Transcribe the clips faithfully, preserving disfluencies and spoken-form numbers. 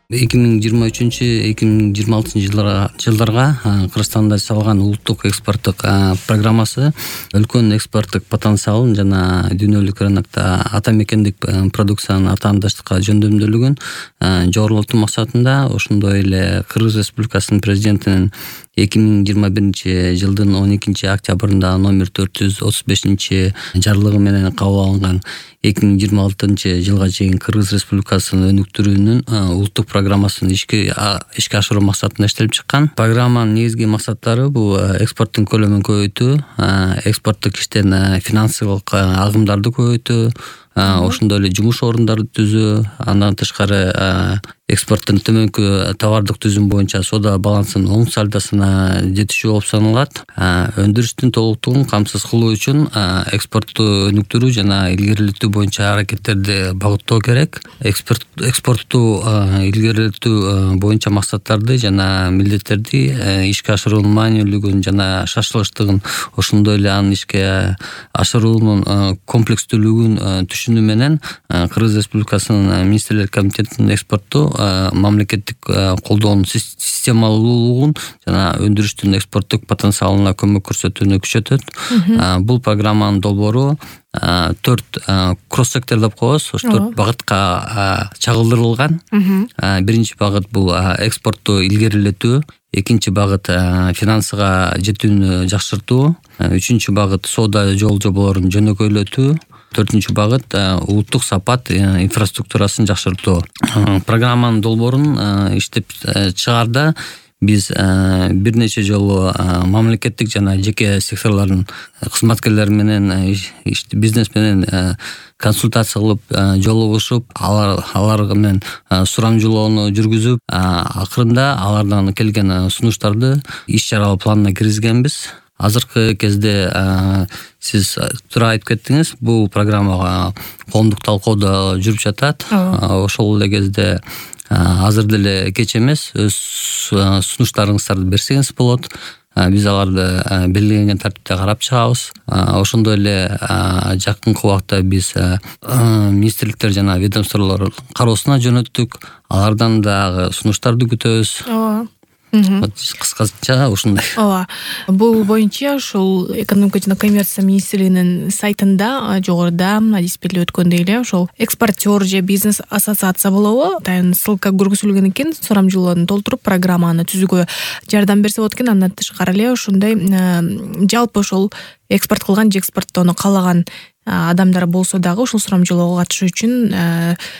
эки миң жыйырма үчүнчү эки миң жыйырма алтынчы жылдарга Кыргызстанда жасалган улуттук экспорттук программасы өлкөнүн экспорттук потенциалын жана дүйнөлүк рынокто ата мекендик продукциянын атаандаштыкка жөндөмдүүлүгүн жогорулатуу максатында, ошондой эле Кыргыз Республикасынын президентинин эки миң жыйырма биринчи жылдын он экинчи октябрында номер төрт жүз отуз бешинчи жарлыгы менен кабыл алынган эки миң жыйырма алтынчы жылга чейин Кыргыз Республикасынын өнүктүрүүнүн улуттук программасын ишке ишке ашыруу максатында иштелип чыккан. Программанын негизги максаттары бул экспорттун көлөмүн көбөйтүү, экспорттук иштен финансылык агымдарды көбөйтүү, ошондой эле жумуш орундарды түзүү, андан тышкары экспорттун төмөнкү товардык түзүм боюнча соода балансынын оң сальдосуна жетишүү болуп саналат. Өндүрүштүн толуктугун камсыз кылуу үчүн экспортту өнүктүрүү жана илгерилетүү боюнча аракеттерди багыттоо керек. Экспорт экспортту илгерилетүү боюнча максаттарды жана милдеттерди ишке ашыруунун маанилүүлүгүн жана шашылыштыгын, ошондой эле анын ишке ашыруунун комплекстүүлүгүн түшүнүү менен Кыргыз Республикасынын министрлер комитетинин экспортту мамлекеттик колдоонун системалуулугун жана өндүрүштүн экспорттук потенциалына көмөк көрсөтүүнү күчөтөт. Бул программанын долбоору төрт кросс-сектор деп коебуз. Ошо төрт багытка чагылдырылган. Биринчи багыт бул экспортту илгерилетүү, экинчи багыт финансыга жетүүнү жакшыртуу, үчүнчү багыт соода жол жоболорун жөнөкөйлөтүү, төртүнчү багыт улуттук сапат инфраструктурасын жакшыртуу. Программанын долбоорун иштеп чыгаарда биз бир нече жолу мамлекеттик жана жеке секторлордун кызматкерлери менен, бизнес менен консультация кылып, жолугушуп, алар алар менен сурамжылоону жүргүзүп, акырында алардан келген сунуштарды иш чаралар планына киргизгенбиз. Азыркы кезде сиз туура айтып кеттиңиз, бул программага коомдук талкуудо жүрүп жатат. Ошол эле кезде азыр деле кеч эмес, өз сунуштарыңыздарды берсеңиз болот. Биз аларды белгиленген тартипте карап чыгабыз. Ошондой эле жакынкы убакта биз министрликтер жана ведомстволор кароосуна жөнөттүк. Алардан дагы сунуштарды күтөбүз. Ооба. Кыскача ушундай. Ооба. Бул боюнча ушул экономика жана коммерция министрлигинин сайтында жогоруда диспелде өткөндөй эле ошол экспортер же бизнес ассоциация болобу, тайын ссылка көргөзүлгөн экен. Сурамжылоону толтуруп программаны түзүүгө жардам берсе болот экен. Андан тышкары эле ошондой жалпы ошол экспорт кылган же экспорттоону каалаган адамдар болсо дагы ушул сурамжылоого катышуу үчүн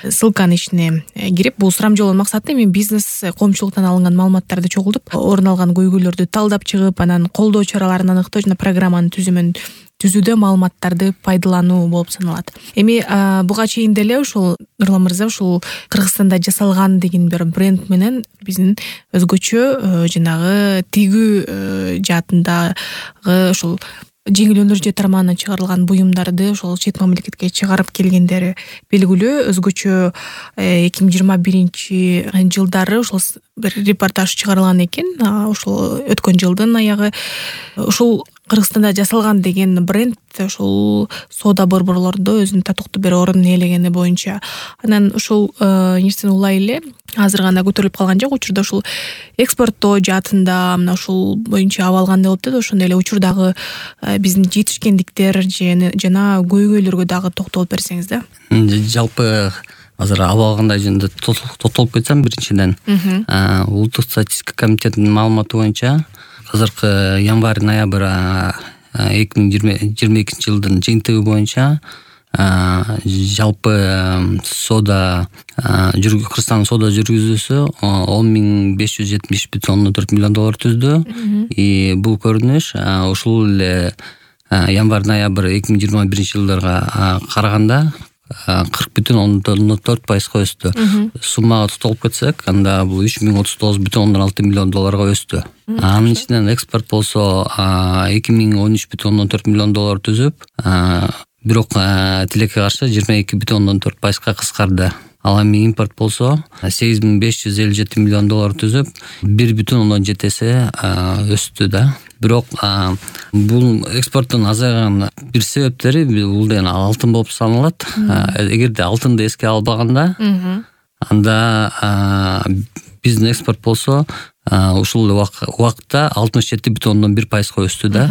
ссылканын ичине кирип, бул сурамжылоонун максаты эми бизнес коомчулуктан алынган маалыматтарды чогултуп, орун алган көйгөйлөрдү талдап чыгып, анан колдоо чараларын аныктоо жана программанын түзүмүн түзүүдө маалыматтарды пайдалануу болуп саналат. Эми буга чейин деле ушул Нурлан мырза ушул Кыргызстанда жасалган деген бир бренд менен биздин өзгөчө жанагы тигүү жаатындагы ушул жеңил өнөр жөө тармагынан чыгарылган буюмдарды ошол чет мамлекетке чыгарып келгендери белгилүү. Өзгөчө эки миң жыйырма биринчи жылдары ошол бир репортаж чыгарылган экен. Ошол өткөн жылдын аягы ушул Кыргызстанда жасалган деген бренд ушул соода борборлорунда өзүнүн татыктуу бир орун ээлегени боюнча. Анан ушул нерсени улай эле азыр гана көтөрүлүп калган жок. Учурда ушул экспорттоо жаатында мына ушул боюнча абалгандай болуп атат. Ошондой эле учурдагы биздин жетишкендиктер жана көйгөйлөргө дагы токтолуп берсеңиз да. Жалпы азыр абалгандай жөнүндө токтолуп кетсем, биринчиден улуттук статистика комитетинин маалыматы боюнча азыркы январь-ноябрь эки миң жыйырма экинчи жылдын жыйынтыгы боюнча жалпы соода Кыргызстандын соода жүргүзүүсү он миң беш жүз жетимиш бүтүн ондон төрт миллион доллар түздү. И бул көрүнүш ушул эле январь-ноябрь эки миң жыйырма биринчи жылдарга караганда кырк бүтүн ондон төрт пайызга өстү. Суммага токтолуп кетсек, анда бул үч миң отуз тогуз бүтүн ондон алты миллион долларга өстү. Анын ичинен экспорт болсо эки миң он үч бүтүн ондон төрт миллион доллар түзүп, бирок тилекке каршы жыйырма эки бүтүн ондон төрт пайызга кыскарды. Ал эми импорт болсо сегиз миң беш жүз элүү жети миллион доллар түзүп, бир бүтүн ондон жети эсе өстү да. Бирок бул экспорттун азайган бир себептери бул деген алтын болуп саналат. Эгерде алтынды эске албаганда, анда биздин экспорт болсо ушул убакытта алтымыш жети бүтүн ондон бир пайызга өстү да.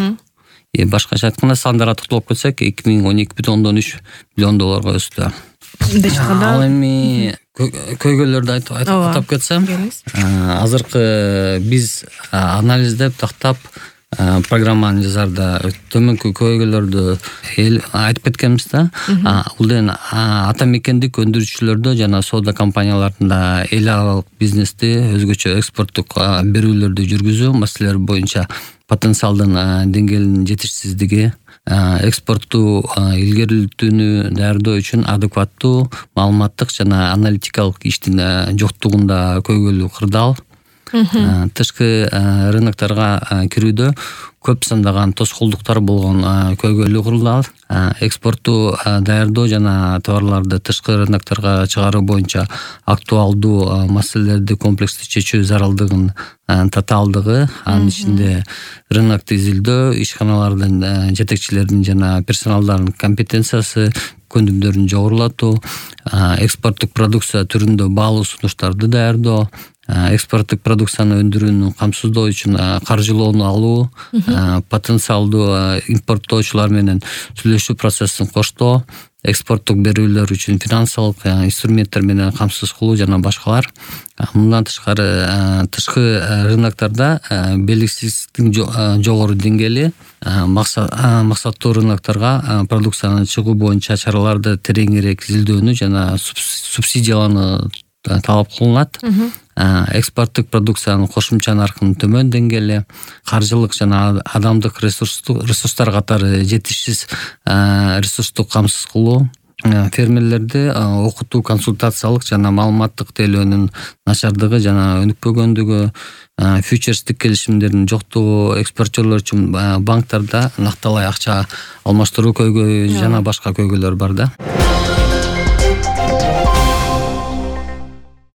Башкача айтканда сандара токтолуп кетсек эки миң он эки бүтүн ондон үч миллион долларга өстү. Ал эми көйгөйлөрдү айтып атап кетсем, азыркы биз анализдеп тактап программаны жазарда төмөнкү көйгөйлөрдү айтып кеткенбиз да. Бул ден ата мекендик өндүрүүчүлөрдө жана соода компанияларында эл аралык бизнести өзгөчө экспорттук берүүлөрдү жүргүзүү маселелери боюнча потенциалдын деңгээлинин жетишсиздиги, экспортту илгерилтүүнү даярдоо үчүн адекваттуу маалыматтык жана аналитикалык иштин жоктугунда көйгөйлүү кырдаал, тышкы рынокторго кирүүдө көп сандаган тоскоолдуктар болгон көйгөйлүү кырдаал, экспортту даярдоо жана товарларды тышкы рынокторго чыгаруу боюнча актуалдуу маселелерди комплекстүү чечүү зарылдыгын татаалдыгы, анын ичинде рынокту изилдөө, ишканалардын жетекчилеринин жана персоналдардын компетенциясы, көндүмдөрүн жогорулатуу, экспорттук продукция түрүндө баалуу сунуштарды даярдоо, экспорттук продукцияны өндүрүүнү камсыздоо үчүн каржылоону алуу, потенциалдуу импорттоочулар менен сүйлөшүү процессин коштоо, экспорттук берүүлөр үчүн финансылык инструменттер менен камсыз кылуу жана башкалар. Мындан тышкары тышкы рыноктордо белгисиздиктин жогору деңгээли, максаттуу рынокторго продукцияны чыгуу боюнча чараларды тереңирээк изилдөөнү жана субсидиялоону талап кылынат. Экспорттук продукциянын кошумча наркынын төмөн деңгээли, каржылык жана адамдык ресурстар катары жетишсиз ресурстук камсыз кылуу, фермерлерди окутуу, консультациялык жана маалыматтык тейлөөнүн начардыгы жана өнүкпөгөндүгү, фьючерстик келишимдердин жоктугу, экспортерлор үчүн банктарда накталай акча алмаштыруу көйгөйү жана башка көйгөйлөр бар да.